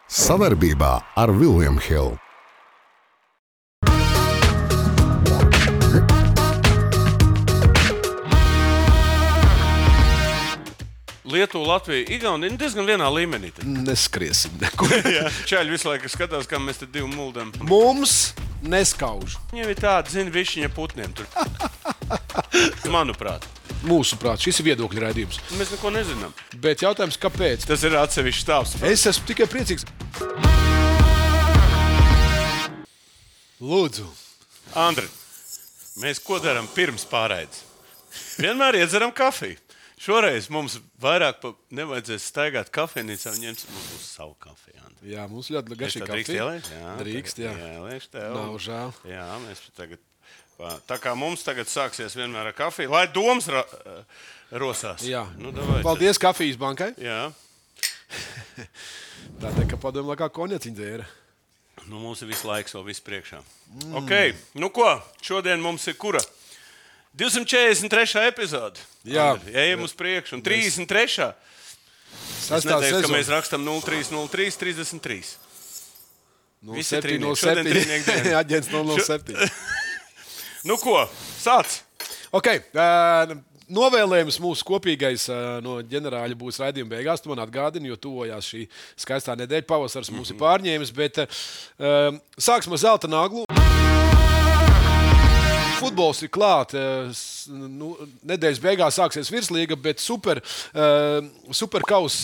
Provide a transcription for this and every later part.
Savarbībā ar William Hill. Lietuva, Latvija, Igaunija diezgan vienā līmenī. Neskriesim nekur. Čaļi visu laiku skatās, kā mēs te divi muldam. Mums neskauž. Viņiem ir tāda, zina, višķiņa putniem tur. Manuprāt. Mūsuprāt, šis ir viedokļu raidījums. Mēs neko nezinām. Bet jautājums, kāpēc? Tas ir atsevišķs stāvs. Es esmu tikai priecīgs. Lūdzu. Andri, mēs ko darām pirms pārraides? Vienmēr iedzeram kafiju. Šoreiz mums vairāk nevajadzēs staigāt kafejnīcā un ņemt mums būs savu kafiju. Andri. Jā, mums ļoti garšīga Drīkst kafija. ielēt? Jā, Drīkst, jā. Ielēšu tev. Nav žēl. Jā, mēs tagad... Tā kā mums tagad sāksies vienmēr ar kafiju, lai domas rosās. Jā. Nu, davai, paldies kafijas bankai. Jā. Tātad, ka padomā, kā konjaciņa dzēra. Nu, mums ir visu laiks vēl viss priekšā. Ok, nu ko? Šodien mums ir kura? 243. epizode. Jā. Andri, ejam uz priekšu. Un 33. Es Sastā nedēļu, ka sezona. mēs rakstam 03, 33. 07, Aģents 007. Nu ko, sāc! Ok, novēlējums mūsu kopīgais no ģenerāļa būs raidījuma beigās. Tu man atgādini, jo tuvojās šī skaistā nedēļa. Pavasars mums ir pārņēmis, bet sāksim ar zelta naglu. Futbols ir klāt. Nedēļas beigās sāksies virslīga, bet superkaus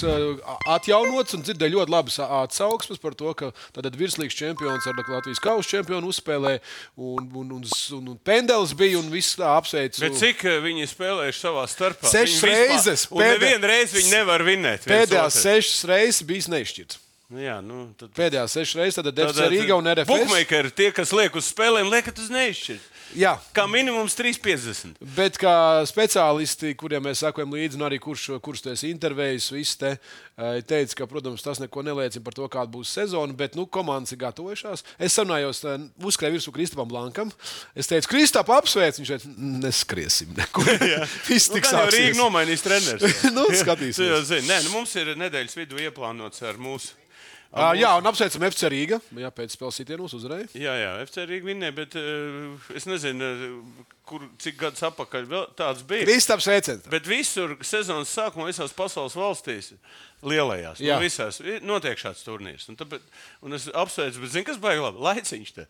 atjaunots un dzirdēju ļoti labas atsauksmes par to, ka tad virslīgas čempions ar Latvijas kausa čempionu uzspēlē un pendelis bija un viss tā apsveic. Bet cik viņi spēlējuši savā starpā? 6 reizes. Un nevienu reizi viņi nevar vinēt. Pēdējās 6 reizes bijis neizšķirts. Jā, nu, tad... Pēdējās 6 reizes tad FC Rīga un RFS. Bookmakeri, tie, kas liek uz spēlēm, liekat uz neizšķirt. Jā. Kā minimums 3,50. Bet kā speciālisti, kuriem mēs sakojam līdzi, un arī kurš tu esi intervējis, visi te teica, ka, protams, tas neko neliecina par to, kāda būs sezona, bet, komandas ir gatavojušās. Es sarunājos, uzskrēju virsū Kristapam Blankam. Es teicu, Kristap, apsveic, viņš teica, neskriesim nekur. Viss tik sāksies. Rīga nomainīs treneris. Skatīsimies. Nē, mums ir nedēļas vidū ieplānots ar mūsu. Jā, un apsveicam FC Rīga. Jā, pēc spēles sitienos uzvarēja. Jā, FC Rīga vinnēja, bet es nezinu, cik gadus atpakaļ vēl tāds bija. Kristaps sveiciens. Bet visur sezonas sākumā visās pasaules valstīs lielajās, visās notiek šāds turnīrs. Un es apsveicu, bet zini, kas baigi labi? Laiciņš te.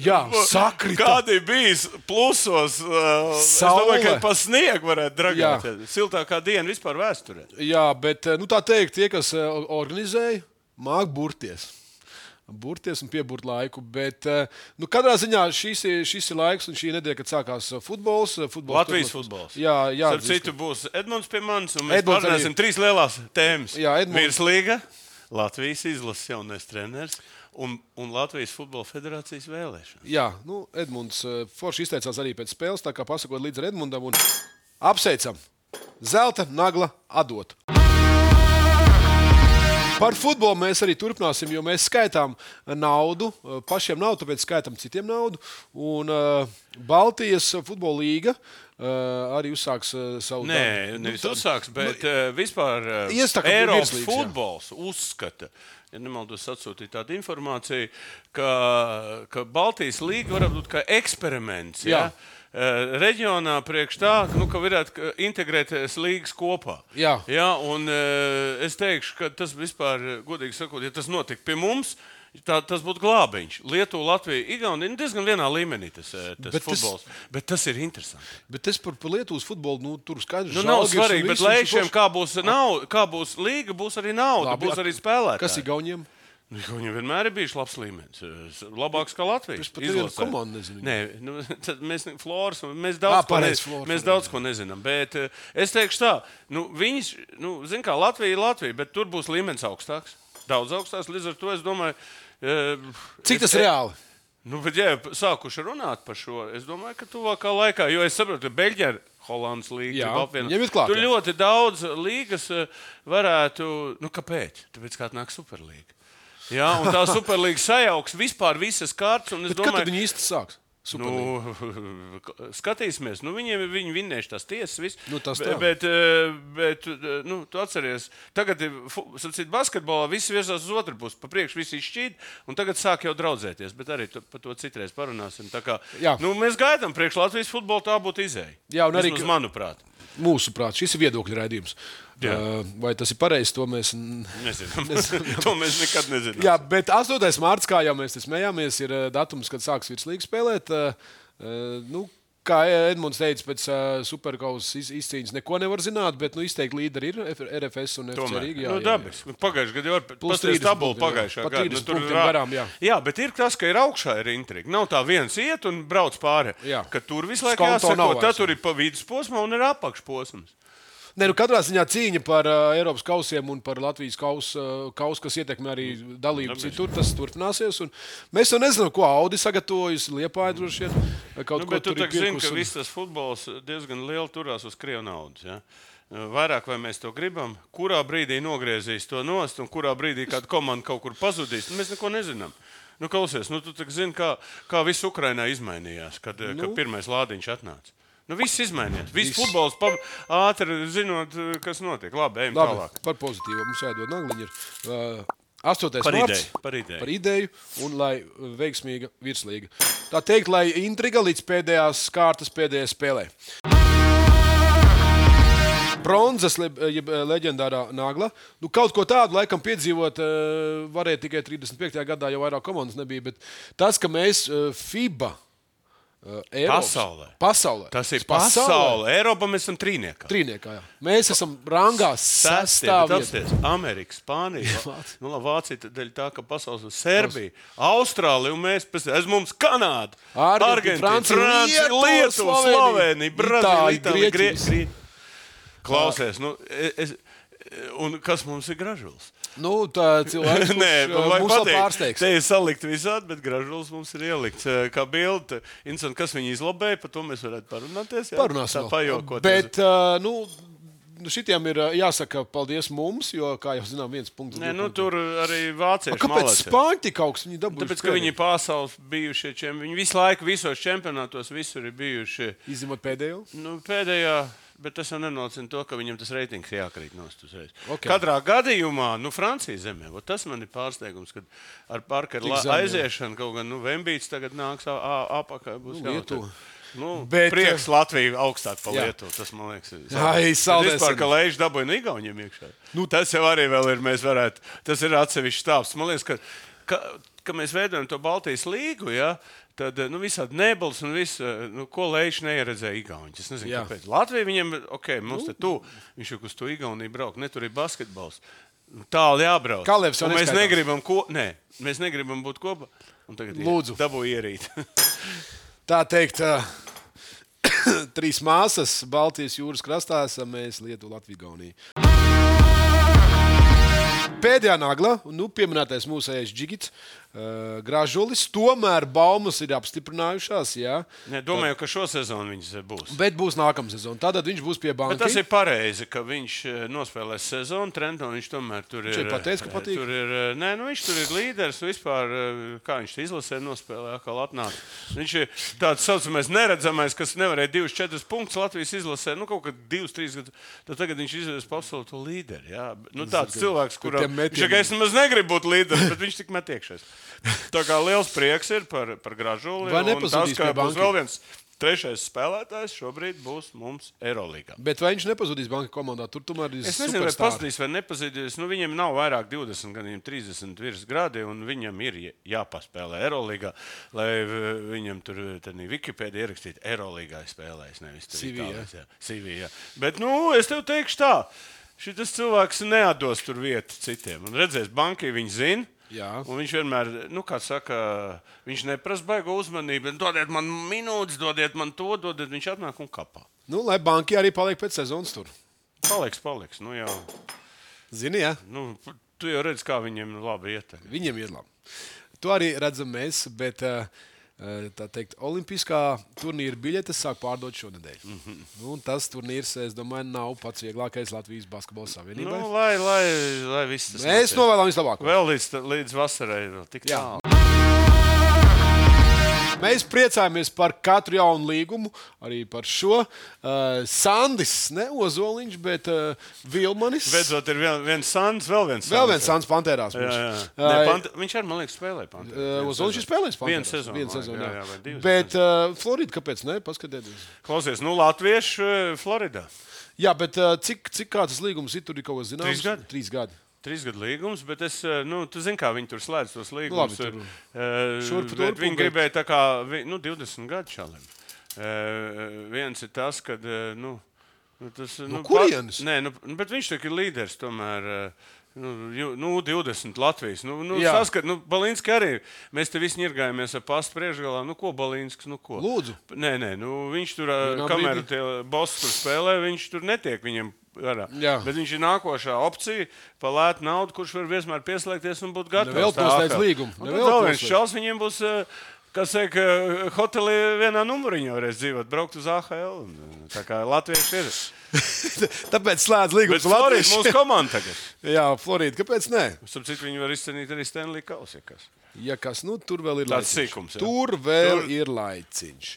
Jā, sakrita. Kādi bijis plusos? Es domāju, ka pa sniegu varētu dragāt. Siltākā diena vispār vēsturē. Jā, bet tā teikt, tie, kas organizēja, māk burties un pieburt laiku, bet katrā ziņā šis ir laiks un šī nedēļa, kad sākās futbols. Latvijas futbols. Jā. Starp citu būs Edmunds pie manis, un mēs pārnēsim 3 lielās tēmas. Jā, Edmunds. Virslīga, Latvijas izlases jaunais treneris un Latvijas futbola federācijas vēlēšana. Jā, Edmunds forši izteicās arī pēc spēles, tā kā pasakot līdz ar Edmundam un apsveicam. Zelta nagla atdot. Par futbolu mēs arī turpināsim, jo mēs skaitām naudu, pašiem naudu, tāpēc skaitām citiem naudu. Un Baltijas futbola līga arī uzsāks savu darbu. Nē, nevis uzsāks, bet vispār Eiropas futbols uzskata, ja nemaldos atsūtīt tādu informāciju, ka Baltijas līga var būt kā eksperiments. Jā. Reģionā priekš tā, ka varētu integrēties līgas kopā. Jā. Un es teikšu, ka tas vispār, godīgi sakot, ja tas notika pie mums, tas būtu glābiņš. Lietuva, Latvija, Igaunija diezgan vienā līmenī tas futbols. Bet tas ir interesanti. Bet es par Lietuvas futbolu, tur skaidrs. Nav svarīgi, bet lēšiem, kā būs līga, būs arī nauda, labi, būs arī spēlētāji. Kas ir Igauniem? Viņam vienmēr ir bijis labs līmenis. Labāks kā Latvijas. Es pat nevienu komandu nezinu. Nē, mēs Floras, mēs daudz ko nezinām. Bet es teikšu tā, zin kā, Latvija ir Latvija, bet tur būs līmenis augstāks. Daudz augstāks, līdz ar to es domāju... Cik tas reāli? Bet ja sākuši runāt par šo, es domāju, ka tuvākā laikā, jo es saprotu, ka Beļģija ir Holandas līga. Tur ļoti daudz līgas varētu... Kāpēc? Tāpēc kā nāk Superlīga. Jā, un tā Superlīga sajauks vispār visas kārtas. Kad viņi īsti sāks? Skatīsimies, viņi vinnēs tās tiesas, viss. Tas bet tu atceries, tagad, sacīt, basketbolā viss virzās uz otru pusi, pa priekšu visi izšķīt, un tagad sāk jau draudzēties, bet arī par to citreiz parunāsim. Tā kā, mēs gaidām priekš Latvijas futbolu, tā būtu izēja. Jā, un arī, manuprāt. Mūsuprāt, šis ir viedokļu raidījums. Vai tas ir pareizi, to mēs nezinām. To mēs nekad nezinām. Jā, bet 8. mārts, kā jau mēs smējāmies, ir datums, kad sāks virslīga spēlēt. Kā Edmunds teica, pēc superkausas izcīņas neko nevar zināt, bet izteikti līderi ir RFS un FC Rīga. Dabiski. Pagājušajā gadā jau pastāstīja tabulu pagājušajā gadā. Tur ir garām, jā, bet ir tas, ka ir augšā ir intriga. Nav tā viens iet un brauc pāri. Ka tur visu laiku jāsako, tad tur ir pa vidusposmā un ir apakšposms. Katrā ziņā cīņa par Eiropas kausiem un par Latvijas kausu, kas ietekmē arī dalību citur, tas turpināsies. Mēs jau nezinām, ko Audi sagatavojas, Liepāja droši vien. Bet tu zini, ka viss tas futbols diezgan lieli turās uz krievu naudas. Ja? Vairāk vai mēs to gribam, kurā brīdī nogriezīs to nost un kurā brīdī kāda komanda kaut kur pazudīs, mēs neko nezinām. Klausies, tu zini, kā viss Ukrainā izmainījās, kad pirmais lādiņš atnāca. Viss izmainījās. Viss futbols ātri zinot, kas notiek. Labi, ejam tālāk. Par pozitīvu mums jādod nagliņi. 8. mārts par ideju un lai veiksmīga virslīga. Tā teikt, lai intriga līdz pēdējās kārtas pēdējai spēlē. Bronzas, jeb leģendārā nagla. Kaut ko tādu laikam piedzīvot varēja tikai 35. gadā, jau vairāk komandas nebija. Bet tas, ka mēs FIBA Pasaulē. Tas ir pasaulē. Eiropā mēs esam trīniekā. Jā. Mēs esam rangā sastāvā. Amerika, Spānija, Vācija dēļ tā, ka pasaules Serbija, Austrālija un mēs pēc mums Kanāda, Argentīna, Francija, Lietuva, Slovenija, Brazīlija, Itālija, Grieķija. Klausies, un kas mums ir Gražulis? Tā cilvēks, kurš mūs vēl pārsteigs. Te ir salikt visādi, bet Gražulis mums ir ielikts kā bilde. Kas viņu izlobēja, par to mēs varētu parunāties. Parunāsim. Tā pajokot. Bet, šitiem ir jāsaka paldies mums, jo, kā jau zinām, 1 punkts. Tur arī vācieši kāpēc malāci. Spāņi tik augsts? Viņi dabūjuši. Tāpēc, ka viņi pasaules bijušie čempioni. Viņi visu laiku visos čempionātos visur ir bijuši. Izņemot pēdējo? Pēdējā. Bet tas jau nenocina to, ka viņam tas reitings jākrīt nost uzreiz. Okay. Katrā gadījumā, Francijas zemē, tas man ir pārsteigums, kad ar Parkeru aiziešanu kaut gan Vembīts tagad nāks apakaļ. Prieks Latviju augstāk pa Lietuvu. Tas, man liekas, vispār, ka Leiš dabūja Igauniem iekšā. Tas jau arī vēl ir, tas ir atsevišķs stāvs. Man liekas, ka mēs veidojam to Baltijas līgu, ja? Tad visādi nebels un viss, ko Leiš neieredzēja Igauni. Es nezinu, kāpēc. Latvija viņiem, mums te tu, viņš jau uz to Igauniju brauk, ne tur ir basketbols. Tālu jābrauc. Un mēs negribam būt kopā. Un tagad dabū ierīt. Tā teikt, 3 māsas Baltijas jūras krastā esam mēs Lietuva, Latvija, Igaunija. Pēdējā nagla, pieminētais mūsējais Džigits, Gražulis, tomēr baumas ir apstiprinājušās. Domāju, ka šo sezonu viņš būs. Bet būs nākamā sezona. Tad viņš būs pie bankas. Bet tas ir pareizi, ka viņš nospēlēs sezonu. Trenton viņš tomēr tur ir. Viņš ir pateicis, ka patīk. Viņš tur ir līderis. Vispār, kā viņš izlasē nospēlē, atkal atnāk. Viņš ir tāds saucamais neredzamais, kas nevarēja 2-4 punktus Latvijas izlasē. Kaut kad 2-3 gadus. Tad tagad viņš izvēlas pa absolūtu līderi. Tāds cilvēks, kuram es nemaz negribu būt līderis, bet viņš tik met iekšēs. Tā kā liels prieks ir par Gražuli. Vai nepazudīs pie bankas? Būs vēl viens 3. spēlētājs šobrīd būs mums Eirolīgā. Bet vai viņš nepazudīs banka komandā? Tur tomēr ir es nezinu, vai pazudīs vai nepazudīs. Viņam nav vairāk 20, gan 30 virs gradi, un viņam ir jāpaspēlē Eirolīgā, lai viņam tur Wikipēdija ierakstītu Eirolīgā spēlējis. Nevis CV, jā. Bet, es tev teikšu tā. Šis cilvēks neatdos tur vietu citiem. Un redzēs, bankai viņi zina. Jā. Un viņš vienmēr, kā saka, viņš neprasa baigo uzmanību. Dodiet man minūtes, dodiet man to, viņš atnāk un kapā. Lai banki arī paliek pēc sezonas tur. Paliks. Jau. Zini, jā? Tu jau redz, kā viņiem labi iet. Viņiem ir labi. To arī redzam mēs, bet... Tā teikt, olimpiskā turnīra biļetes sāk pārdot šonedēļ. Tas turnīrs, es domāju, nav pats vieglākais Latvijas basketbola savienībai. Lai viss tas mēs novēlam vislabāko. Vēl līdz vasarai vēl tik tālu. Mēs priecājamies par katru jaunu līgumu, arī par šo. Sandis, ne Ozoliņš, bet Vilmanis. Beidzot ir viens Sandis, vēl viens Sandis. Vēl viens Sandis Pantērās. Viņš arī, man liekas, spēlē Pantērās. Ozoliņš ir spēlējis Pantērās. Vienu sezonu, jā. Bet Florida, kāpēc ne? Paskatieties. Klausies, latvieši Floridā. Jā, bet cik kāds līgums ir tur kaut kas zināms? 3 gadi. 3 gadu līgums, bet tu zini, kā viņi tur slēdz tos līgumus. Viņi gribēja tā kā 20 gadu šālim. Viens ir tas, ka kurienes? Nē, bet viņš tā ir līderis tomēr. 20 Latvijas. Saskat, Balinski arī. Mēs te visi ņirgājamies ar pastu priekšgalā. Ko Balinsks, ko? Lūdzu. Nē, viņš tur, kamēr tie bosi tur spēlē, viņš tur netiek viņiem. Bet viņš ir nākošā opcija, pa lētu naudu, kurš var vienmēr pieslēgties un būt gatavs. Vēl noslēdz līgumu. Vēl viens čals viņiem būs, kas saka, hotelī vienā numuriņā varēs dzīvot, braukt uz AHL. Tā kā latvieši ir. Tāpēc slēdz līgumus ar Latvijas mūsu komandu tagad. Jā, Florida, kāpēc ne? Sapcīt, viņi var izcenīt arī Stanley Kausu, ja kas. Ja kas, tur vēl ir tāds sīkums. Tur vēl ir laiciņš.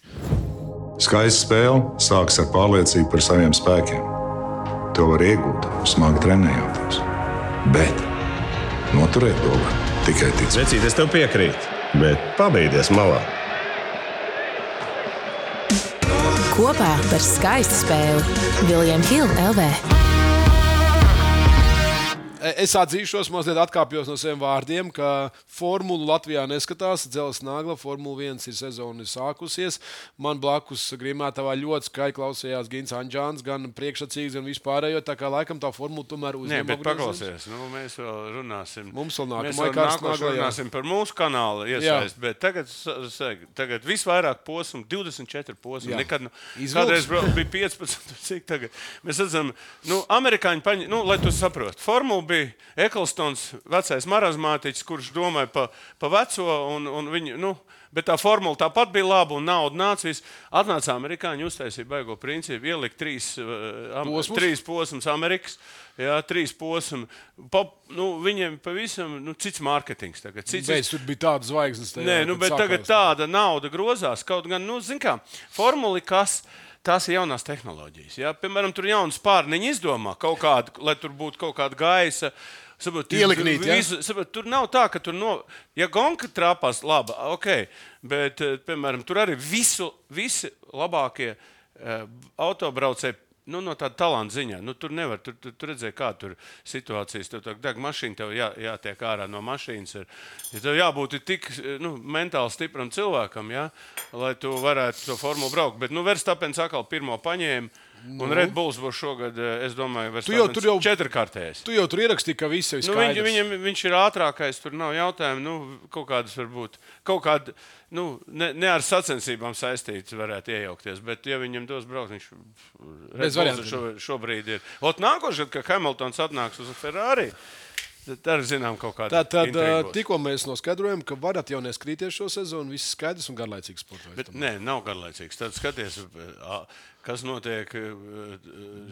Skaista spēle sākas ar pārliecību par saviem spēkiem. To var iegūt, smagi trenējoties. Bet noturēt to var tikai ticēt. Vecīt, es tev piekrītu, bet pabeigties malā. Kopā par skaistu spēli William Hill LV. Es atzīšos, mazliet atkāpjos no saviem vārdiem, ka formulu Latvijā neskatās. Dzelzs Nagla, Formula 1 ir sezona sākusies. Man blakus Grimētavā ļoti skaļi klausījās Gins Anģāns, gan priekšsacīgs, gan vispārējo. Tā kā laikam tā formula tomēr uzņem. Nē, bet paklausies, mēs vēl runāsim. Mums vēl nākošais runāsim par mūsu kanālu iesaist, bet tagad visvairāk posmu, 24 posmu. Kādreiz bija 15, cik tagad. Mēs redzam, amerikāņi paņem, lai tu saproti. Formula bija Eklstons, vecais marazmātiķis, kurš domāja pa veco, un viņu, bet tā formula tāpat bija laba, un nauda nāca. Atnāca amerikāņi, uztaisīja baigo principu, ielikt 3 posmus Amerikas, 3 posmu. Viņiem pavisam cits mārketings tagad. Bet tur bija tāda zvaigznes. Nē, bet tagad tāda nauda grozās. Kaut gan, zin kā, formuli kas... Tās ir jaunās tehnoloģijas. Ja? Piemēram, tur jaunas pārniņi izdomā kaut kādu, lai tur būtu kaut kāda gaisa. Ieliknīt, tur nav tā, ka tur ja gonka trāpās, labi, ok. Bet, piemēram, tur arī visi labākie autobraucēji, no tāda talanta ziņā. Tur nevar, tur redzēja, kā tur situācijas. Tev deg mašīna, tev jātiek ārā no mašīnas. Tev jābūt tik mentāli stipram cilvēkam, lai tu varētu to formulu braukt. Bet Verstapens atkal pirmo paņēma. Un Red Bulls būs šogad, es domāju, Verstapens 4-kārtējais. Tu jau tur ierakstīji, ka viss ir skaidrs. Viņš ir ātrākais, tur nav jautājumu. Kaut kādas varbūt, kaut kāda, ne ar sacensībām saistīts varētu iejaukties. Bet, ja viņam dos braukt, viņš Red Bulls šobrīd ir. Nākošais, kad Hamiltons atnāks uz Ferrari, tad arī zinām kaut kādu intrigu. Tad tikko mēs noskaidrojam, ka varat jau neskrīties šo sezonu, viss skaidrs un garlaicīgs sports. Bet nē, nav garlaicīgs. Tad skaties, kas notiek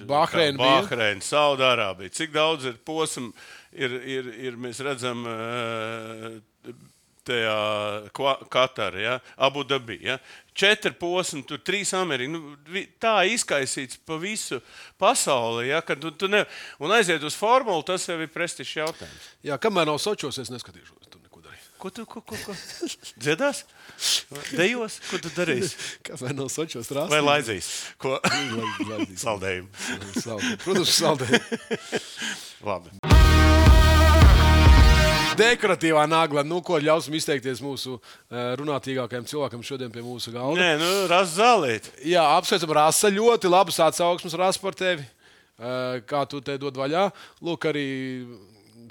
Bahreina, Saudārābija. Cik daudz ir posmu, mēs redzam tajā Katarā, Abu Dabi. 4 posmi, tur 3 Amerikā. Tā izkaisīts pa visu pasauli, kad tu ne... Un aiziet uz formulu, tas jau ir prestižs jautājums. Jā, kamēr nav Sočos, es neskatīšos. Tur neko darīt. Ko? Dziedās? Dejos? Ko tu darīsi? Kamēr nav Sočos rāstīt? Vai laidzīs? Ko? Laidīs. Saldējumu. Protams, saldējumu. Labi. Dekoratīvā nagla. Ko ļausim izteikties mūsu runātīgākajam cilvēkam šodien pie mūsu galda? Nē, Rasa Zālīt. Jā, apsveicam Rasa. Ļoti labas atsauksmes, Rasa, par tevi. Kā tu te dod vaļā. Lūk, arī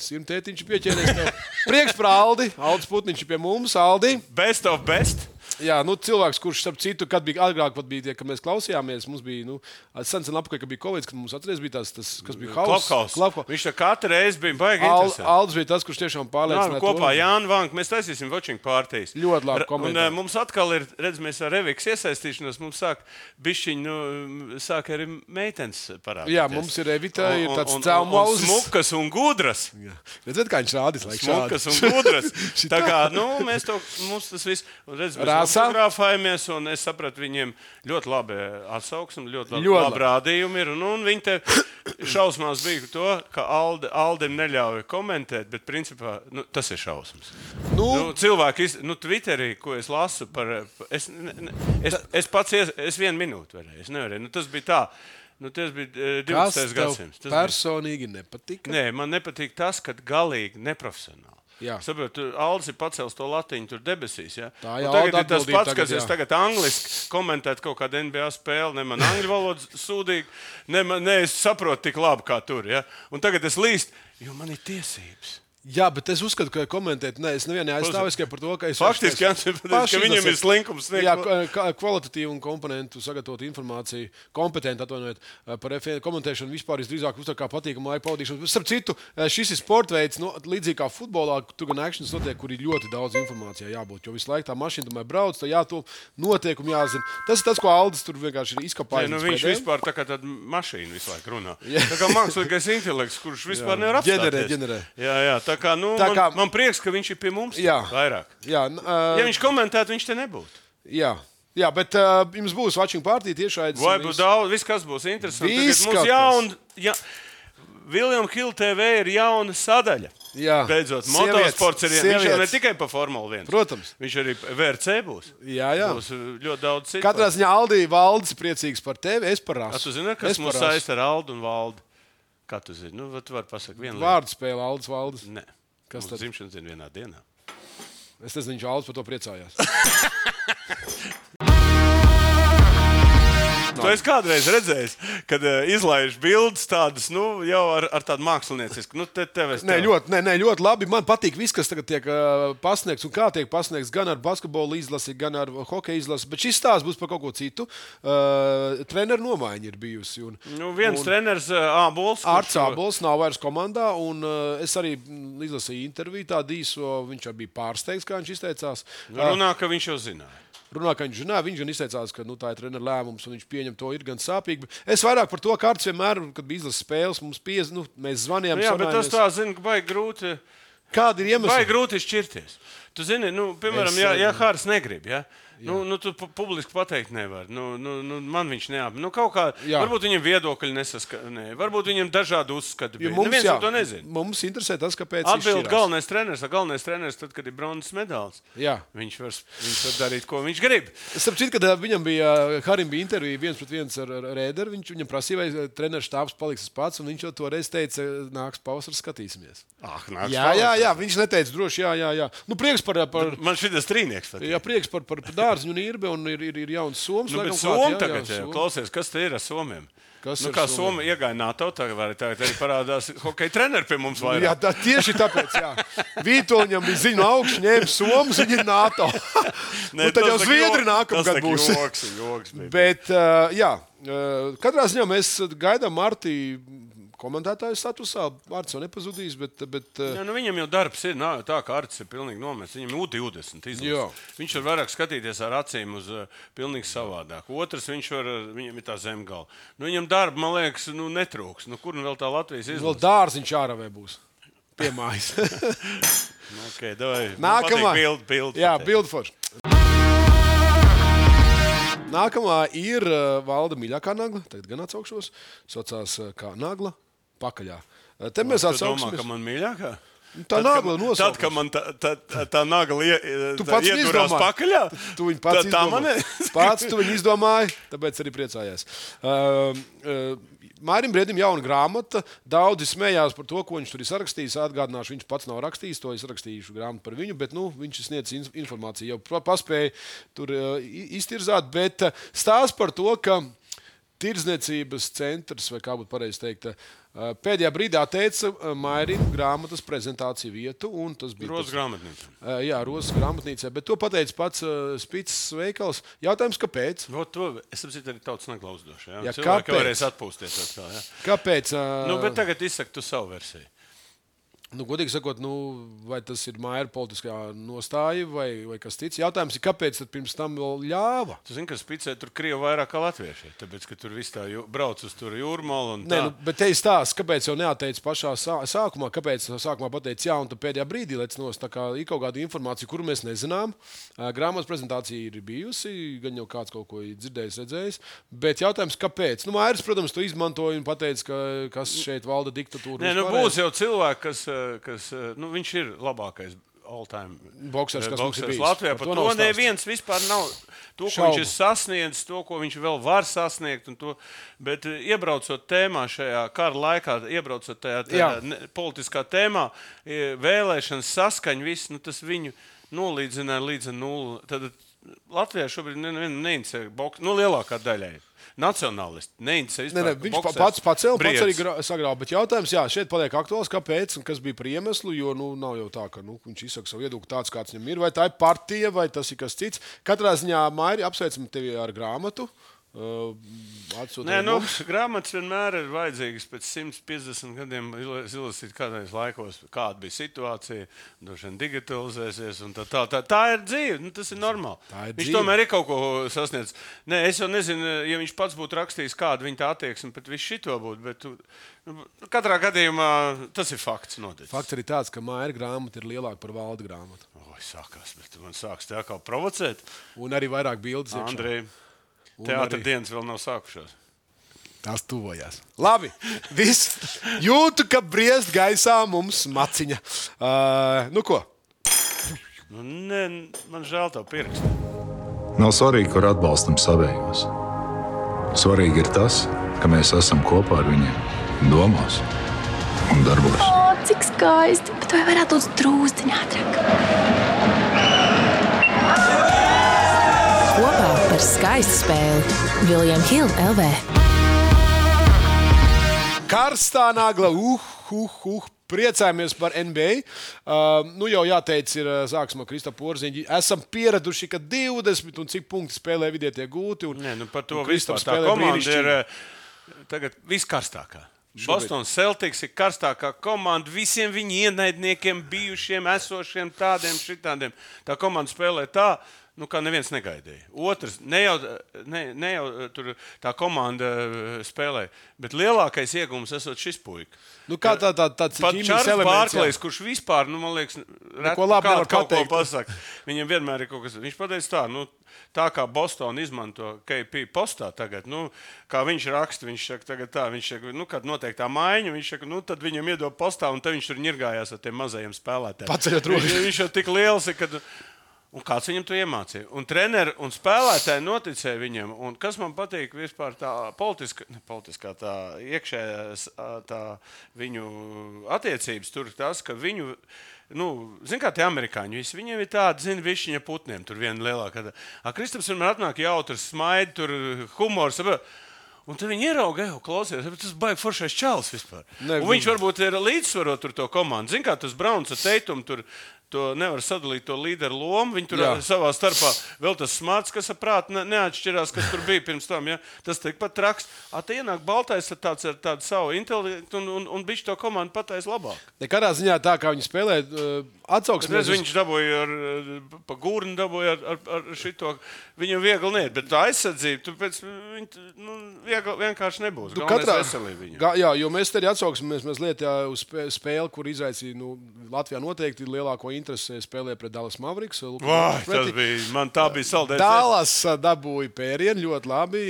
Simtētiņš pieķēries tev. Prieks par Aldi. Aldis Putniņš pie mums. Aldi. Best of best. Jā, cilvēks, kurš, starp citu, kad bija agrāk, bija tie, kad mēs klausījāmies, mums bija, sen apakaļ, kad bija Covid, kad mums atceries bija tas, kas bija Clubhouse. Viņš tā katru reizi bija baigi interesants. Aldis bija tas, kurš tiešām pārliecināja. Kopā Jāna Vanka, mēs taisīsim watching partijas. Ļoti labi komentāri. Un mums atkal ir, mēs ar Revikas iesaistīšanos, mums sāk arī meitenes parādīties. Jā, mums ir Revita, ir tāds cēlmauzes. Un smukas un gudras. Redzēt, kā viņš rādīs, laik šādi. Smukas un gudras. Tā kā, mums tas viss, un redz, fotografējamies, un es sapratu, viņiem ļoti labi atsauksmi, ļoti labi rādījumi ir. Un viņi te šausmās bija to, ka Aldim neļauj komentēt, bet principā tas ir šausmas. Cilvēki, Twitterī, ko es lasu par... Es pats, es 1 minūti varēju, es nevarēju. Tas bija tā. Tas bija 20. gadsimts. Tas personīgi nepatika? Nē, man nepatīk tas, ka galīgi neprofesionāli. Saprotu, Aldis ir pacēlis to latiņu tur debesīs. Ja? Tagad ir tas pats, kas es tagad angliski komentētu kaut kādu NBA spēli, ne man angļu valodu sūdīgi, ne es saprotu tik labi kā tur. Ja? Un tagad es līst, jo man ir tiesības. Jā, bet es uzskatu, ka komentēt, es nevienu aizstāvu tikai par to, ka es... Faktiski, ka viņam ir slinkums. Jā, kvalitatīvu un komponentu sagatavot informāciju, kompetenti atvainojiet par F1 komentēšanu vispār drīzāk uztver kā patīkamu laiku pavadīšanu. Starp citu, šis ir sportveids, līdzīgi kā futbolā, tur gan actions notiek, kur ir ļoti daudz informācijā jābūt, jo visu laiku tā mašīna tomēr brauc, tā jāto notiekumi jāzina. Tas ir tas, ko Aldis tur vienkārši ir izkapājis. Viņš vispār tā kā tāda mašīna visu laiku runā. Tā kā mākslīgais intelekts, kurš vispār nevar apstāties. Ģenerē. Jā. Man prieks, ka viņš ir pie mums vairāk. Ja viņš komentētu, viņš te nebūtu. Jā, bet jums būs watching party tiešraidē. Vai būs daudz, viss kas būs interesanti. Mums William Hill TV ir jauna sadaļa. Beidzot, motosports ir viņš jau ne tikai pa Formula 1. Protams. Viņš arī VRC būs. Jā. Būs ļoti daudz citu. Katrā ziņā Aldī Valdis priecīgs par tevi, es par rasu. Tu zini, kas mūs saista ar Aldu un Valdi? Kā tu zini? Tu vari pasakt vienu lietu. Vārdu spēle Aldis Valdis. Nē. Kas tad? Dzimšanas diena vienā dienā. Es nezinu, viņš Aldis par to priecājās. Tu esi kādreiz redzējis, kad izlaiž bildes tādas, jau ar tādu māksliniecisku. Ļoti labi. Man patīk viss, kas tagad tiek pasniegts un kā tiek pasniegts gan ar basketbolu izlasi, gan ar hokeja izlasi. Bet šis stāsts būs par kaut ko citu. Treneru nomaiņa ir bijusi. Viens treneris Ābols. Arts Ābols nav vairs komandā. Un es arī izlasīju interviju tādu īso. Viņš arī bija pārsteigts, kā viņš izteicās. Runā, ka viņš jau zināja. Viņš gan izteicās, ka tā ir treneru lēmums, un viņš pieņem to ir gan sāpīgi. Es vairāk par to, ka Arts vienmēr, kad bija izlases spēles, mums mēs zvanījām. Jā, bet tas tā, zinu, ka baigi grūti. Kādi ir iemesli? Baigi grūti šķirties. Tu zini, piemēram, ja Hāris negrib, ja? Tu publiski pateikt nevar. Man viņš neap. Kaut kā, varbūt viņam viedokļi nesaskanē. Varbūt viņam dažādi uzskati. Neviens to nezina. Mums interesē tas, kāpēc atbild galvenais treneris, tad, kad ir bronzas medaļas. Viņš var darīt, ko viņš grib. Starp citu, kad viņam Harim bija intervija 1-1 ar Rēderu, viņam prasīja, vai treneru štābs paliks pats, un viņš jau toreiz teica, nāks pavasaris, skatīsimies. Jā, viņš neteica droši, jā. Prieks par... Man šitas trīnieks. Jā, prieks par dārziņu un īrbe, un ir jauns soms. Bet somi tagad, klausies, kas te ir ar somiem? Kā Somi iegāja NATO, tagad arī parādās hokeja treneri pie mums vairāk. Jā, tieši tāpēc, Vītoliņam bija ziņu augsts, ņēma Somas, viņi ir NATO. Tad jau Zviedri nākamgad būs. Joks bija. Bet, katrā ziņā mēs gaidām Martī komentētāju statusā. Arts jau nepazudīs, bet... Viņam jau darbs ir, tā kā Arts ir pilnīgi nomests. Viņam U20 izlaiž. Viņš var vairāk skatīties ar acīm uz pilnīgi savādāk. Otrs, viņam ir tā zemgala. Viņam darba, man liekas, netrūks. Kur vēl tā Latvijas izlaiž? Vēl dārziņš āravē būs. Pie mājas. Nākamā. Bildi. Jā, bildi forši. Nākamā ir Valda mīļākā nagla. Tagad gan atsaukšos. Saucās kā nagla pakaļā. Te mēs atsauksimies. Tu domā, ka man mīļākā? Tā nagla nosaukums. Tad, kad man tā nagla iedurās pakaļā? Tu viņu pats izdomāji. Tu viņu izdomāji, tāpēc arī priecājās. Mārim Briedim jauna grāmata. Daudzi smējās par to, ko viņš tur ir sarakstījis. Atgādināšu, viņš pats nav rakstījis, to es rakstīšu grāmatu par viņu, bet viņš sniedz informāciju, jau paspēja tur iztirzāt, bet stāsts par to, ka Tirdzniecības centrs, vai kā būtu pareizi teikt, pēdējā brīdī atteica Mairina grāmatas prezentāciju vietu. Tas bija Rozes grāmatnīca. Jā, Rozes grāmatnīcā, bet to pateica pats Spits veikals. Jautājums, kāpēc? Es saprotu, arī tautas neklausdošu. Jā, cilvēki varēs atpūsties atkal. Jā. Kāpēc? Bet tagad izsaka tu savu versiju. Godīgi sakot, vai tas ir Maira politiskā nostāja vai kas cits. Jautājums ir, kāpēc tad pirms tam vēl ļāva? Tu zini, ka Spicē tur krievi vairāk kā latvieši. Tāpēc, ka tur viss tā brauc uz tur jūrmalu un tā. Bet te ir stāsts, kāpēc jau neateicis pašā sākumā, kāpēc sākumā pateicis jā, un tad pēdējā brīdī lec nost. Tā kā ir kaut kāda informācija, kuru mēs nezinām. Grāmatas prezentācija ir bijusi, gan jau kāds kaut ko dzirdējis, redzējis. Bet jautājums, kāpēc? Mairis, protams, to izmantoja un pateica, kas šeit valda diktatūru. Būs jau cilvēki, kas viņš ir labākais all-time boksers, kas mums ir bijis. Latvijā. Par to neviens vispār nav. To, ko viņš ir sasniedzis, to, ko viņš vēl var sasniegt. Bet iebraucot tēmā šajā kara laikā, iebraucot tajā politiskā tēmā, vēlēšanas saskaņa, viss, tas viņu nolīdzināja līdz nulli. Tad Latvijā šobrīd neinteresē boks, lielākā daļai. Nacionālisti. Viņš pats pacēla, pats arī sagrāva. Bet jautājums, šeit paliek aktuāls, kāpēc un kas bija par iemeslu, jo nav jau tā, ka viņš izsaka savu viedokli tāds, kāds viņam ir. Vai tā ir partija, vai tas ir kas cits. Katrā ziņā, Mairi, apsveicam tevi ar grāmatu. Grāmatas vienmēr ir vajadzīgas pēc 150 gadiem izlasīt kādreiz laikos, kāda bija situācija, droši vien digitalizēsies un tā. Tā ir dzīve, tas ir normāli. Viņš tomēr ir kaut ko sasniedz. Es jau nezinu, ja viņš pats būtu rakstījis, kāda viņa tā attieksme, bet viss šito būtu, bet katrā gadījumā tas ir fakts noticis. Fakts arī tāds, ka Maira grāmata ir lielāka par Valda grāmatu. Sākās, bet man sāks tā kā provocēt. Un arī vairāk bildes iekšā. Andrej. Teātra dienas vēl nav sākušās. Tās tuvojās. Labi, viss. Jūtu, ka briest gaisā mums maciņa. Ko? Man žēl tavu pirkstu. Nav svarīgi, kur atbalstam savējos. Svarīgi ir tas, ka mēs esam kopā ar viņiem domās un darbos. Cik skaisti, bet vai varētu būt drūzdiņā ātrāk? Kopā par skaistu spēli Viljams Hilde LV. Karstā nagla, priecājamies par NBA. Jau jāteic, ir sāksim ar Kristapu Porziņu. Esam pieraduši, ka 20 un cik punkti spēlē vidē tiek gūti. Par to vispār tā komanda ir tagad viskarstākā. Boston Celtics ir karstākā komanda visiem viņu ienaidniekiem, bijušiem, esošiem, tādiem, šitādiem. Tā komanda spēlē tā, kā neviens negaidīja. Otrs, ne jau tur tā komanda spēlē, bet lielākais iegums esot šis puika. Kā tāds pat Čārls Bārklejs, kurš vispār, man liekas, kaut ko pasaka. Viņam vienmēr ir kaut kas. Viņš pateica tā kā Boston izmanto KP postā tagad, kā viņš raksta, viņš saka tagad tā, viņš saka, kad notiek tā maiņa, viņš saka, tad viņam iedod postā, un tad viņš tur ņirgājās ar tiem mazajiem spēlētājiem. Paceļot rokas. Viņš jau tik liels ir, kad... Un kāds viņam to iemācīja? Un treneri un spēlētāji noticēja viņam. Un kas man patīk vispār tā politiskā tā iekšējā tā viņu attiecības tur tas, ka viņu, zin kā tie amerikāņi, viņiem ir tādi, višķiņa putniem, tur viena lielākā. Kristaps vienmēr atnāk jautrs, smaidi, tur humors. Un tad viņi ierauga, klausies, tas baigi foršais čalis vispār. Un viņš varbūt ir līdzsvarot tur to komandu. Zin kā tas Browns ar Teitumu tur to nevar sadalīt to līderu lomu. Viņi tur savā starpā vēl tas smarts, kas ar prātu neatšķirās, kas tur bija pirms tam. Ja? Tas tikpat traks. Te ienāk baltais ar tādu savu intelektu un bišķi to komandu patais labāk. Nekādā ziņā tā, kā viņi spēlē, atsauksimies. Viņš dabūja pa gūrni dabūja ar šito. Viņam viegli niet, bet tā aizsardzība, tāpēc vienkārši nebūs. Galvenais veselība viņam. Jo mēs te arī atsauksimies mazliet uz spēli, kur izraicīja Latvijā noteikti lielāko interesi spēlē pret Dallas Mavericks. Man tā bija saldēta. Dallas dabūja pērienu ļoti labi.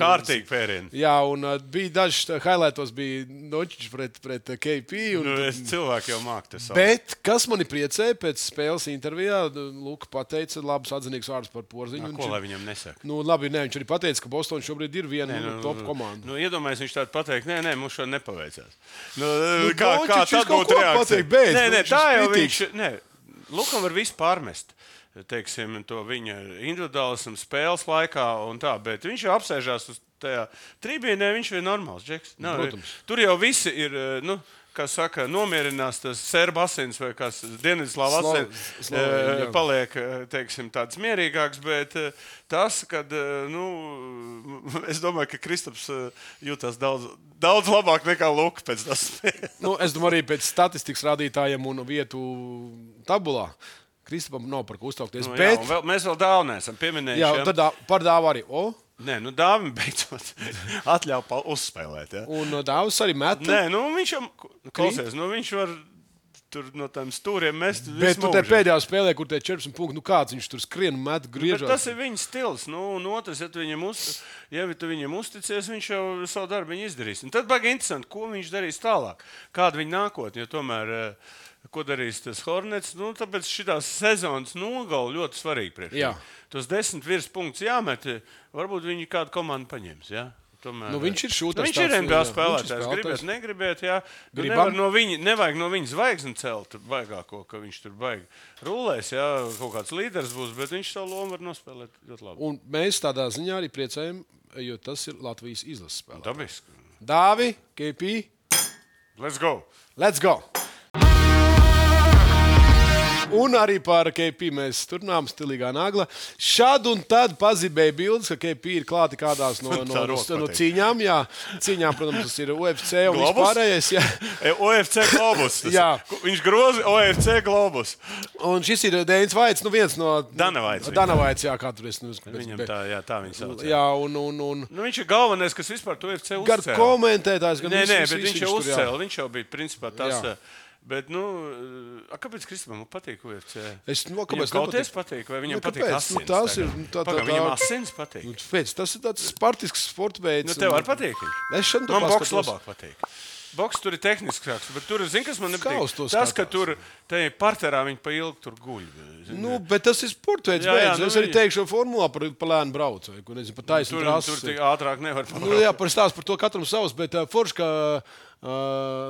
Kārtīgi pērienu. Jā, un bija daži highlightos bija Dočičs pret KP. Cilvēki jau māk tas. Bet, kas mani priecēja pēc spēles intervijā, Luka pateica labus atzinīgus vārdus par Porziņu. Ko lai viņam nesaka? Labi, viņš arī pateica, ka Boston šobrīd ir viena top komanda. Iedomājies, viņš tādu pateikt, mums šo nepaveicās. Kā tad būtu reakcija? Tā jau viņš... Lukam var visu pārmest, teiksim, to viņa individuālismu spēles laikā un tā, bet viņš jau apsēžās uz tajā tribīnē, viņš ir normāls džeks. Tur jau visi ir, kā saka, nomierinās tas serbu asins vai kas Dienvidslāvu asins, paliek, teiksim, tāds mierīgāks, bet tas, kad, es domāju, ka Kristaps jūtās daudz labāk nekā Luka pēc tas. Es domāju, arī pēc statistikas rādītājiem un vietu tabulā. Kristapam nav par ko uztraukties. Bet... Jā, mēs vēl dāvu neesam pieminējuši. Jā, tad par dāvu arī. Nē, dāvim beidzot atļauj uzspēlēt. Ja? Un dāvus arī met. Nē, viņš jau, klausies, viņš var tur no tām stūriem mest. Bet tu te pēdējā spēlē, kur te 14 punkti, kāds viņš tur skrien, met, griežās. Bet tas ir viņa stils. Un otrs, ja tu viņam uzticies, viņš jau savu darbu izdarīs. Un tad baigi interesanti, ko viņš darīs tālāk. Kāda viņa nākotne, jo tomēr... Ko darīs tas Hornets? Tāpēc šitās sezonas nogala ļoti svarīgi priekš. Tos 10 virspunktus jāmet, varbūt viņi kādu komandu paņems. Ja? Tomēr, viņš ir šūters. Viņš ir NBA spēlētājs. Gribēt, negribēt. Ja? Nevajag no viņa zvaigzni celt baigāko, ka viņš tur baigi rulēs. Ja? Kaut kāds līderis būs, bet viņš savu lomu var nospēlēt ļoti labi. Un mēs tādā ziņā arī priecājam, jo tas ir Latvijas izlases spēlētājs. Dabiski. Dāvi, KP. Let's go! Let's go! Un arī par KP mēs turpinām stilīgā nagla. Šad un tad pazibēja bildes, ka KP ir klāti kādās no cīņām. Jā, cīņām, protams, tas ir UFC un vispārējais. UFC globus. Viņš groza UFC globus. Un šis ir Dēns Vaits, viens no... Dana Vaits, jā, kā tur es... Viņam tā viņa sauc. Jā, un... viņš ir galvenais, kas vispār to UFC uzcēla. Gar komentētājs, gan Nē, bet viņš jau uzcēla. Viņš jau bija, principā, tas... Bet, kāpēc Kristapam patīk UFC? Viņam kauties patīk, vai viņam patīk asins? Viņam asins patīk. Tas ir tāds spartisks sporta veids. Tev var patīk? Man boks labāk patīk. Boks tur ir tehniskāks, bet tur, kas man nepatīk? Tas, ka tur parterā viņi pa ilgu tur guļ. Bet tas ir sporta veids. Es arī teikšu formulā par lēnu braucu. Par taisnu trasu. Tur ātrāk nevar pabraukt. Par stāstu par to katram savs, bet forši, ka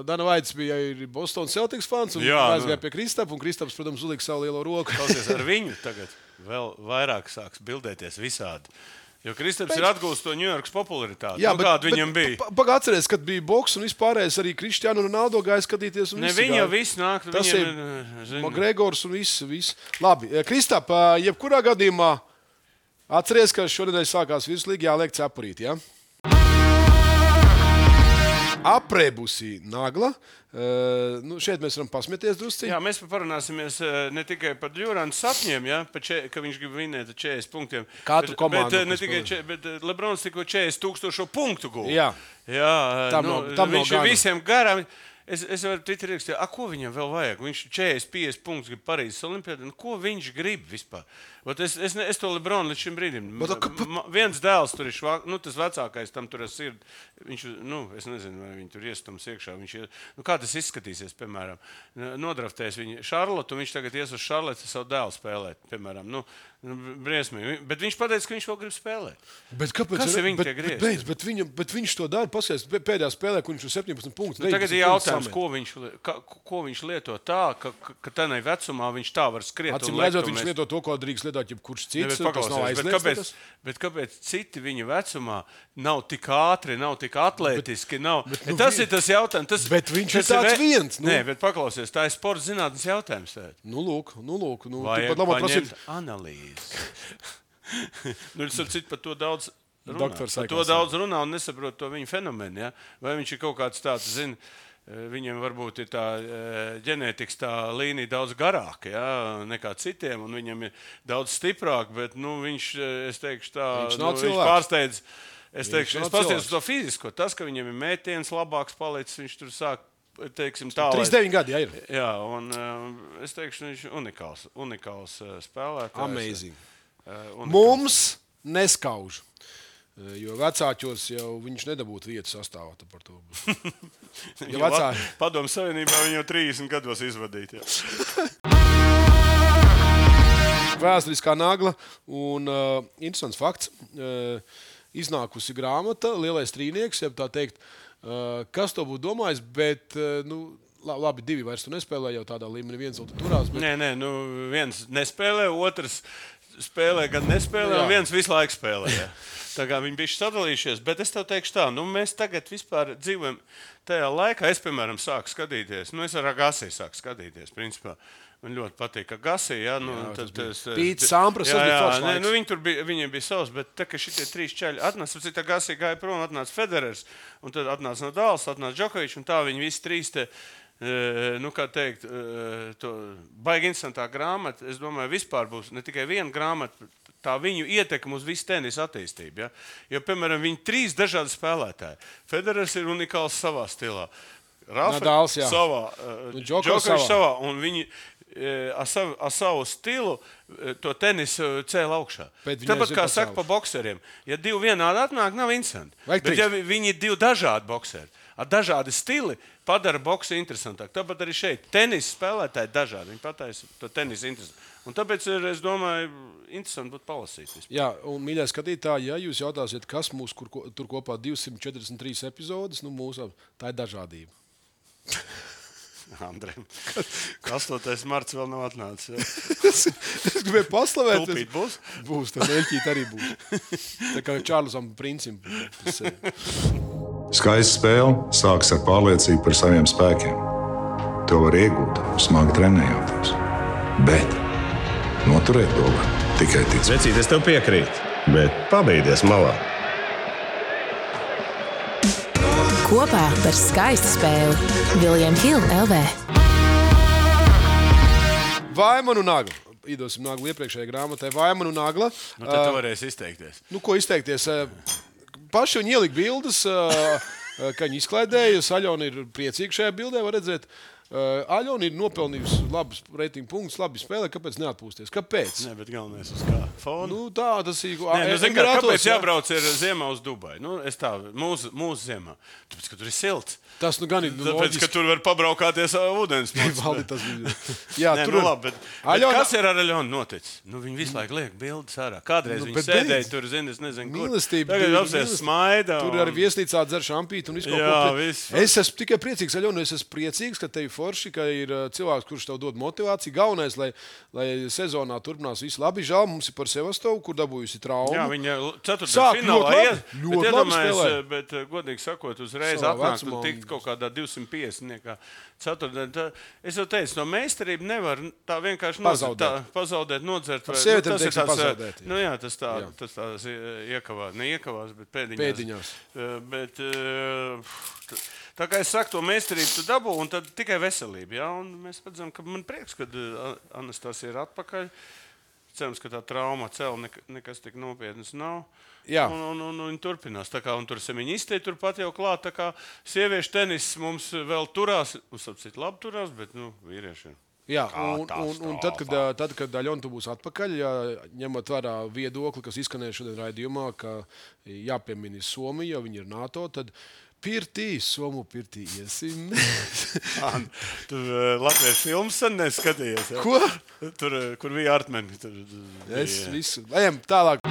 Dana Vaits bija Boston Celtics fans un aizgāja pie Kristapa. Un Kristaps, protams, uzlika savu lielo roku. Klausies, ar viņu tagad vēl vairāk sāks bildēties visādi. Jo Kristaps ir atgūst to Ņujorkas popularitāti. Jā, kāda viņam bija. Atceries, kad bija boks un vispārējais arī Cristiano Ronaldo gāja skatīties. Viņa jau viss nāk. Tas ir McGregors un viss. Labi, Kristap, jebkurā gadījumā atceries, ka šonedēļ sākās virslīga jāliek cepurīt, ja? Aprēbusi nagla. Šeit mēs varam pasmieties drusciņi. Jā, mēs parunāsimies ne tikai par Duranta sapņiem, ja, ka viņš grib vinēt 40 punktiem. Katru komandu. Bet Lebrons tikko 40,000 punktu guva. Jā. Viņš ir visiem garām. Es varu Twitterī rakstīt, ko viņam vēl vajag? Viņš 40-50 punktus grib Parīzes Olimpiādā. Ko viņš grib vispār? Es to Lebronu līdz šim brīdim. Viens dēls tur ir tas vecākais, tam tur ir sirdi. Viņš, es nezinu, vai viņi tur iestums iekšā. Kā tas izskatīsies, piemēram? Nodraftēs viņu Šarlotu, un viņš tagad ies uz Šarlotu savu dēlu spēlēt, piemēram. Briesmīgi. Bet viņš pateica, ka viņš vēl grib spēlēt. Kas ir viņa tie griezti? Bet viņš to dara, paskatās pēdējā spēlē, kur viņš uz 17 punktus. Tagad ir jautājums, ko viņš lieto tā, ka tādā vecumā viņš tā var skriet. Acīm redzot, viņš lieto to, ko drīkst lietot jebkurš cits. Bet kāpēc citi viņa vecumā nav tik ātri, nav tik atlētiski? Tas ir tas jautājums. Bet viņš ir tāds viens. Nē, bet paklausies, tā ir sporta zinātnes jautājums. Lūk. Vajag paņemt analīzi. Es ar citu par to daudz runā un nesaprotu to viņa fenomenu. Ja? Vai viņš ir kaut kāds tāds, viņiem varbūt ir tā ģenētikas tā līnija daudz garāka, ja? Nekā citiem, un viņam ir daudz stiprāk, bet viņš, es teikšu tā, viņš pārsteidz. Es paskatījos uz to fizisko. Tas, ka viņam ir mētiens labāks palicis, viņš tur sāk, teiksim, tā. 39 gadi, jā, ir. Jā, un es teikšu, viņš ir unikāls spēlētājs. Amazing. Mums neskauž. Jo vecāķos jau viņš nedabūtu vietu sastāvā par to. Padomu Savienībā viņu jau 30 gados izvadīt. Vēsturiskā nagla un interesants fakts. Iznākusi grāmata, Lielais trīnieks, ja tā teikt, kas to būtu domājis, bet, labi, divi vairs tu nespēlē jau tādā līmenī, viens vēl tu turās. Bet... Nē, viens nespēlē, otrs spēlē, gan nespēlē, un viens visu laiku spēlē. Jā. Tā kā viņi bijuši sadalījušies, bet es tev teikšu tā, mēs tagad vispār dzīvojam tajā laikā. Es, piemēram, sāku skatīties, es ar Agassi sāku skatīties, principā. Man ļoti patīk, ka Agassi, Pīts Sampras, viņiem bija savs, bet tā, ka šitie 3 čaļi atnāca, cita Agassi gāja prom, atnāca Federers, un tad atnāca Nadals, atnāca Džokovičs, un tā viņi visi 3 te, kā teikt, to baigi interesantā grāmata, es domāju, vispār būs ne tikai viena grāmata, tā viņu ietekme uz visu tenisa attīstību. Ja? Jo, piemēram, viņi 3 dažādi spēlētāji. Federers ir unikāls savā stilā. Nadals, savā, Džokovičs savā, un viņi ar savu stilu to tenisu cēla augšā. Tāpat kā saka pa bokseriem, ja 2 vienādi atnāk, nav interesanti. Bet ja viņi ir 2 dažādi bokseri, ar dažādi stili, padara boksu interesantāk. Tāpat arī šeit tenisa spēlētāji dažādi. Viņi pataisa to tenisu interesantu. Un tāpēc es domāju, interesanti būtu palasīt. Jā, un mīļā skatītāji, ja jūs jautāsiet, kas mūs tur kopā 243 epizodes, tā ir dažādība. Andrejam, 8. marts vēl nav atnācis. Es gribēju paslavēt. Tulpīt būs? Būs, tad Eļķīt arī būs. Tā kā Čārlzam Princim. Skaista spēle sākas ar pārliecību par saviem spēkiem. To var iegūt, smagi trenējoties. Bet noturēt to var tikai ticēt. Vecīt, es tev piekrītu, bet pabeigties malā. Kopā par skaistu spēli Viljams Hilde LV. Vaimanu Nagla. Iedosim Naglu iepriekšējai grāmatai. Vaimanu Nagla. Tad tu varēsi izteikties. Ko izteikties? Paši viņi ielika bildes, ka viņi izklaidēja. Aļona ir priecīga šajā bildē, var redzēt. Aļona ir nopelnījusi labus reitingu punktus, labi spēlē, kāpēc neatpūsties? Kāpēc? Nē, bet galvenais uz kā fona. Tā tas ir. Kāpēc jābrauc ziemā uz Dubai? Es tā, mūsu ziemā. Tāpēc, ka tur ir silts. Tas gan ir loģiski. Tāpēc, ka tur var pabraukāties ūdens. Jā, tur labi, bet kas ir ar Aļonu noticis? Viņi visu laiku liek bildes ārā. Kādreiz viņi sēdēja tur, es nezinu, kur. Tagad apsies smaida. Tur arī viesnīcā dzer šampīti un visu kaut ko. Es esmu tikai priecīgs, Aļona, es esmu priecīgs, ka tev forši, ka ir cilvēks, kurš tev dod motivāciju. Galvenais, lai sezonā turpinās visu labi. Žēl, mums ir par Sevastovu, kur dabūjusi traumu. Jā, viņa 4. finālā ļoti labi spēlē. Bet, godīgi sakot, uzreiz atnākt un tikt kaut kādā 250. Ceturtdienā. Es jau teicu, no meistarību nevar tā vienkārši pazaudēt, nodzert. Tas ir pazaudēt. Tas tās neiekavās, bet pēdiņās. Bet, tā kā es saku, to meistarību tu dabū, un tad tikai veselība. Ja? Un mēs redzam, ka man prieks, kad Anastasija ir atpakaļ. Cerams, ka tā trauma cēla nekas tik nopietnas nav. Jā. Un viņi turpinās. Tā kā, un tur semiņistē turpat jau klāt. Tā kā sieviešu tenis mums vēl turās. Mums apcīt labi turās, bet vīriešiem. Jā, un tad, kad Aļona tu būs atpakaļ, ņemot vērā viedokli, kas izskanēja šodien raidījumā, ka jāpiemina Somija, jo viņi ir NATO, tad pirtī, Somu pirtī iesim. Tur latviešu filmas sen neskatījies. Ja? Ko? Tur, kur bija Artmeni. Es visu. Ejam tālāk.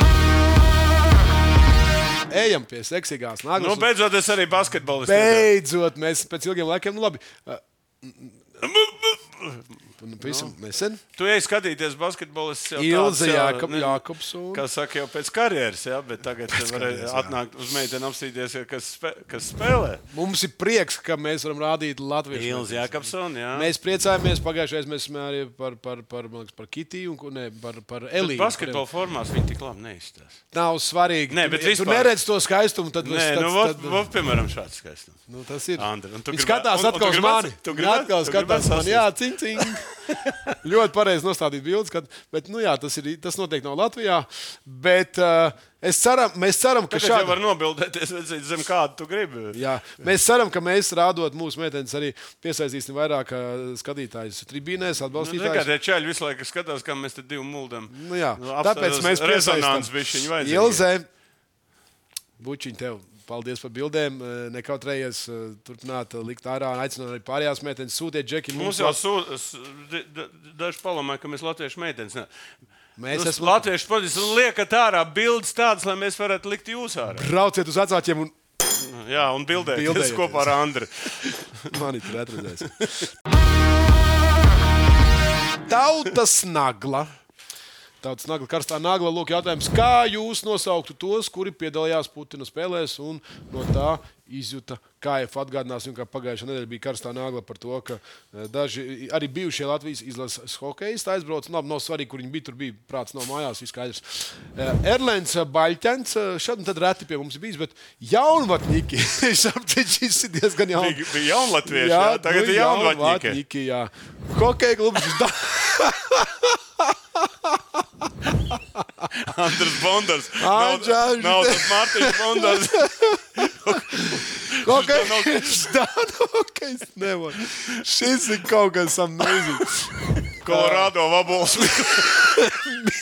Ejam pie seksīgās Naglas. Beidzot, es arī basketbolists. Beidzot, mēs pēc ilgiem laikiem, labi. Pavisam nesen. Tu ej skatīties basketbolists jau Ilze Jākopsona. Kā saka, jau pēc karjeras, ja? Bet tagad varēja atnākt uz meiteni apstīties, kas spēlē. Mums ir prieks, ka mēs varam rādīt latviešu. Ilze Jākopsona, jā. Mēs priecājamies, pagājušais mēs arī par Kitiju un par Elīnu. Basketbola formās viņi tik labi neizstās. Nav svarīgi. Nē, bet tu neredz to skaistumu, tad piemēram šāds skaistums. Tas ir. Andri, viņš skatās atkal uz mani. Atkal skatās mani. Jā, cing. Ļoti pareizi nostādīt bildes, bet tas noteikti nav Latvijā. Bet mēs ceram, ka šādi var nobildēties zem kādu tu gribi. Jā, mēs ceram, ka mēs rādot mūsu meitenes arī piesaistīsim vairāk skatītājus tribīnēs, atbalstītājus. Nekādie čaļi visu laiku skatās, kā mēs te divu muldam. Jā, tāpēc mēs rezonāns bišķiņu vajadzīgi. Ilze, bučiņ tev. Paldies par bildēm. Nekautrējies turpināt likt ārā un aicināt arī pārējās meitenes sūtiet džeki. Mums jau daži palamāja, ka mēs latviešu meitenes. Latviešu podis liekat ārā bildes tādas, lai mēs varētu likt jūs ārā. Brauciet uz vecākiem un... Jā, un bildēties kopā ar Andri. Mani tur atredzēs. Tautas Nagla. Tāds karstā nagla. Lūk, jautājums, kā jūs nosauktu tos, kuri piedalījās Putina spēlēs un no tā izjuta KF atgādināsim, kā pagājušā nedēļa bija karstā nagla par to, ka daži arī bijušie Latvijas izlases hokejisti aizbrauc. Labi, nav svarīgi, kur viņi bija, tur bija prāts nav mājās, viss skaidrs. Erlens Baļķens, šad un tad reti pie mums bijis, bet jaunvatņiki. Šis ir diezgan jaun. Bija jaunlatvieši, jā, tagad ir jaunvatņiki. Jā. Hokeja klubs. Andris Bondars. Nav tas Mārtiņš Bondars. Hokejs nevar. Šis ir kaut kas amazing. Kolorādo Vabols.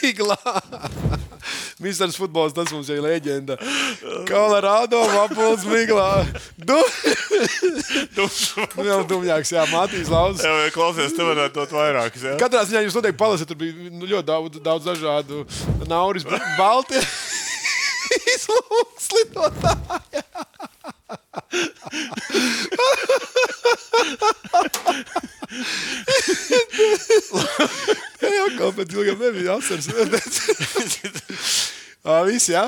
Miglā. Misters futbols, tas mums jau ir leģenda. Kolorādo Vabols Miglā. Vēl dumjāks, jā, Matīs Lauzes. Jā, klausies, tu varētu dot vairākas, jā. Katrā ziņā jūs noteikti palasat, tur bija ļoti daudz dažādu Nauris Balti izlūkslidotāji. Jā, kaut pēc ilgam nebija asars. Viss, jā?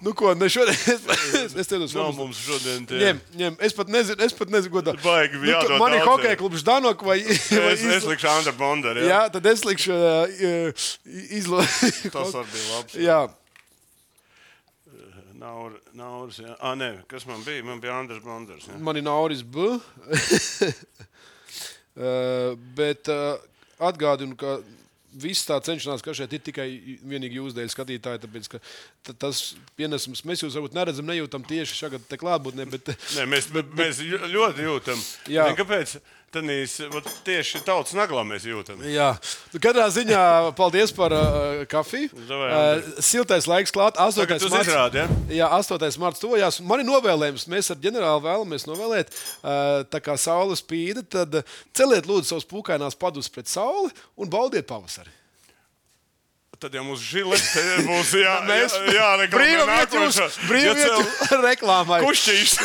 Nu ko, ne šodien, es tev uz nav mums šodien tie. Ņem, es pat nezinu, ko tā. Baigi, jādod man ir daudz, hokeja klubs Ždanok vai... Es likšu Andra Bondaru, jā. Jā, tad es likšu Tas var bija labs. Jā. Nauris, jā. Nē, kas man bija? Man bija Andrs Bondars, jā. Man ir Nauris B. Bet atgādinu, ka viss tā cenšanās, ka šeit ir tikai vienīgi jūs dēļ skatītāji, tāpēc, ka tas pienesums, mēs jūs varbūt neredzam, nejūtam tieši šagad te klātbūtnē, bet... Nē, mēs ļoti jūtam. Jā. Kāpēc? Tieši tautas naglā mēs jūtam. Jā. Katrā ziņā paldies par kafiju. Siltais laiks klāt. 8. marts. Izrādi, ja? Jā, 8. marts tojās. Man ir novēlējums. Mēs ar ģenerāli vēlamies novēlēt, tā kā saule spīda, tad celiet lūdzu savus pūkainās padus pret sauli un baudiet pavasari. Tad jau mums žilete būs jāreklamē. Brīva vieta reklāmai. Kušķīs.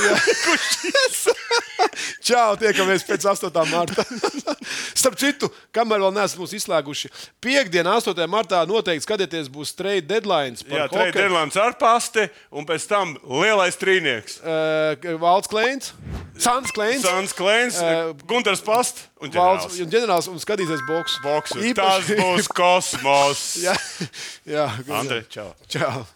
Čau, tiekamies pēc 8. marta. Starp citu, kamēr vēl neesam mūs izslēguši, piekdien 8. martā noteikti skatieties būs trade deadlines par hokeju. Trade deadlines ar pasti un pēc tam lielais trīnieks. Valds Kleins, Sans Kleins, Gunters Past un ģenerāls. Ģenerāls un skatīsies boksu. Tas būs kosmos. Jā. Andri, čau. Čau.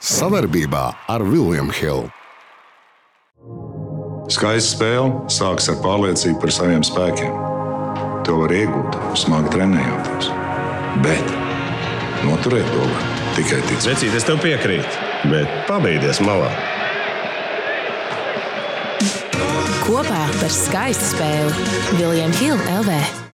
Savarbībā ar William Hill. Skaista spēle sākas ar pārliecību par saviem spēkiem. To var iegūt, smagi trenējoties. Bet noturēt to var tikai ticēt. Vecīt, es tev piekrītu, bet pabeigties malā. Kopā par skaistu spēli William Hill LV.